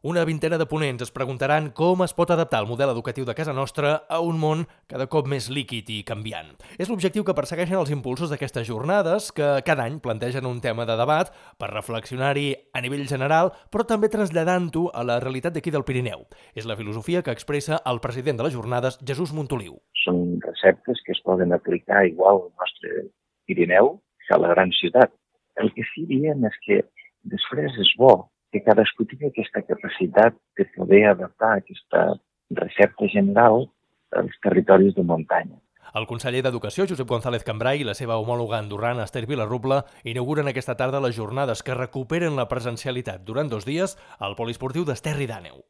Una vintena de ponents es preguntaran com es pot adaptar el model educatiu de casa nostra a un món cada cop més líquid i canviant. És l'objectiu que persegueixen els impulsors d'aquestes jornades, que cada any plantegen un tema de debat per reflexionar-hi a nivell general, però també traslladant-ho a la realitat d'aquí del Pirineu. És la filosofia que expressa el president de les jornades, Jesús Montoliu. Són receptes que es poden aplicar igual al nostre Pirineu que a la gran ciutat. El que sí diem és que després és bo que cadascú tingui aquesta capacitat de poder adaptar aquesta recepta general als territoris de muntanya. El conseller d'Educació, Josep González Cambray, i la seva homòloga andorrana, Esther Vilarrubla, inauguren aquesta tarda les jornades que recuperen la presencialitat durant 2 dies al poliesportiu d'Esterri d'Àneu.